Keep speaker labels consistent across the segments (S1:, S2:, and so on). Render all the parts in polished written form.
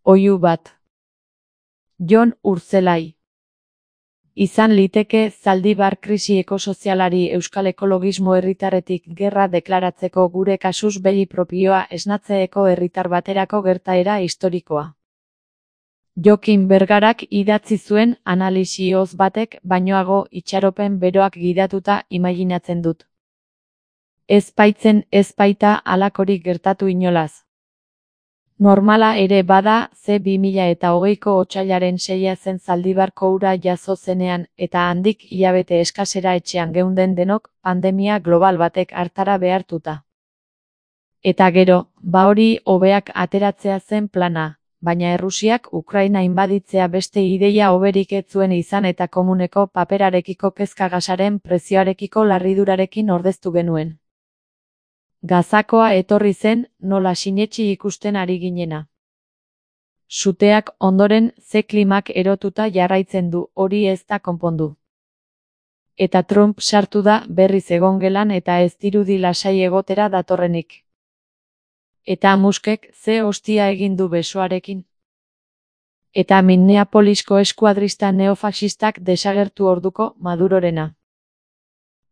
S1: Oihu bat. Jon Urtzelai. Izan liteke Zaldibar krisi ekosozialari euskal ekologismo herritarretik gerra deklaratzeko gure kasuz begi propioa esnatzeeko herritar baterako gertaera historikoa. Jokin Bergarak idatzi zuen analisi-oz batek bainoago itxaropen beroak gidatuta imaginatzen dut. Ez baita halakorik gertatu inolaz. Normala ere bada, ze 2020ko otsailaren 6 zen Zaldibarko ura jazo zenean, eta handik hilabete eskasera etxean geunden denok, pandemia global batek hartara behartuta. Eta gero, hori hobeak ateratzea zen plana, baina Errusiak Ukraina inbaditzea beste ideia hoberik ez zuen izan eta komuneko paperarekiko kezka gasaren prezioarekiko larridurarekin ordeztu genuen. Gazakoa etorri zen, nola sinetsi ikusten ari ginena. Suteak ondoren ze klimak erotuta jarraitzen du, hori ez da konpondu. Eta Trump sartu da berriz egongelan eta ez dirudi lasai egotera datorrenik. Eta Muskek ze hostia egin du besoarekin. Eta Minneapolisko eskuadrista neofaxistak desagertu orduko Madurorena.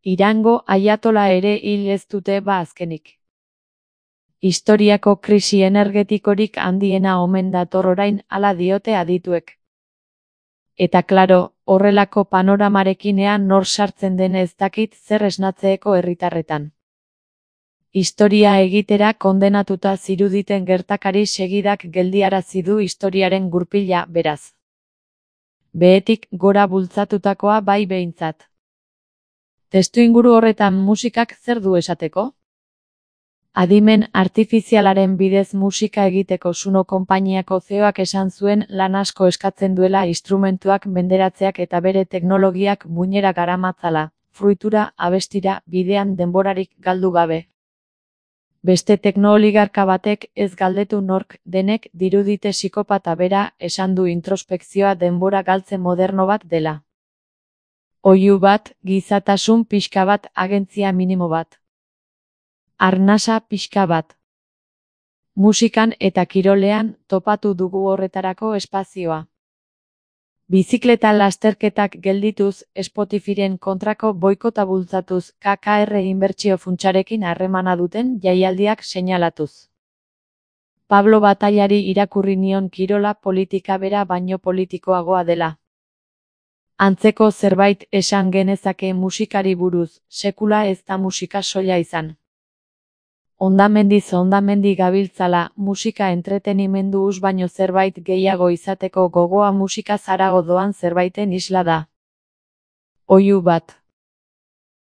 S1: Irango aiatola ere hil ez dute azkenik. Historiako krisi energetikorik handiena omen dator orain, hala diote adituek. Eta klaro, horrelako panoramarekin ea nor sartzen den ez dakit zer esnatzeeko herritarretan. Historia egitera kondenatuta ziruditen gertakari segidak geldiarazi du historiaren gurpila, beraz. Behetik gora bultzatutakoa bai behintzat. Testuinguru horretan musikak zer du esateko? Adimen artifizialaren bidez musika egiteko Suno konpainiako CEOak esan zuen lan asko eskatzen duela instrumentuak menderatzeak eta bere teknologiak muinera garamatzala, fruitura, abestira, bidean denborarik galdu gabe. Beste teknooligarka batek ez galdetu nork denek dirudite psikopata bera esan du introspekzioa denbora galtze moderno bat dela. Oihu bat, gizatasun pixka bat, agentzia minimo bat. Arnasa pixka bat. Musikan eta kirolean topatu dugu horretarako espazioa. Bizikleta lasterketak geldituz, Spotifyren kontrako boikota bultzatuz, KKR inbertsio funtsarekin harremana duten jaialdiak seinalatuz. Pablo Batailari irakurri nion kirola politika bera baino politikoagoa dela. Antzeko zerbait esan genezake musikari buruz, sekula ez da musika soila izan. Hondamendi gabiltzala, musika entretenimendu us baino zerbait gehiago izateko gogoa musika zarago doan zerbaiten isla da. Oihu bat.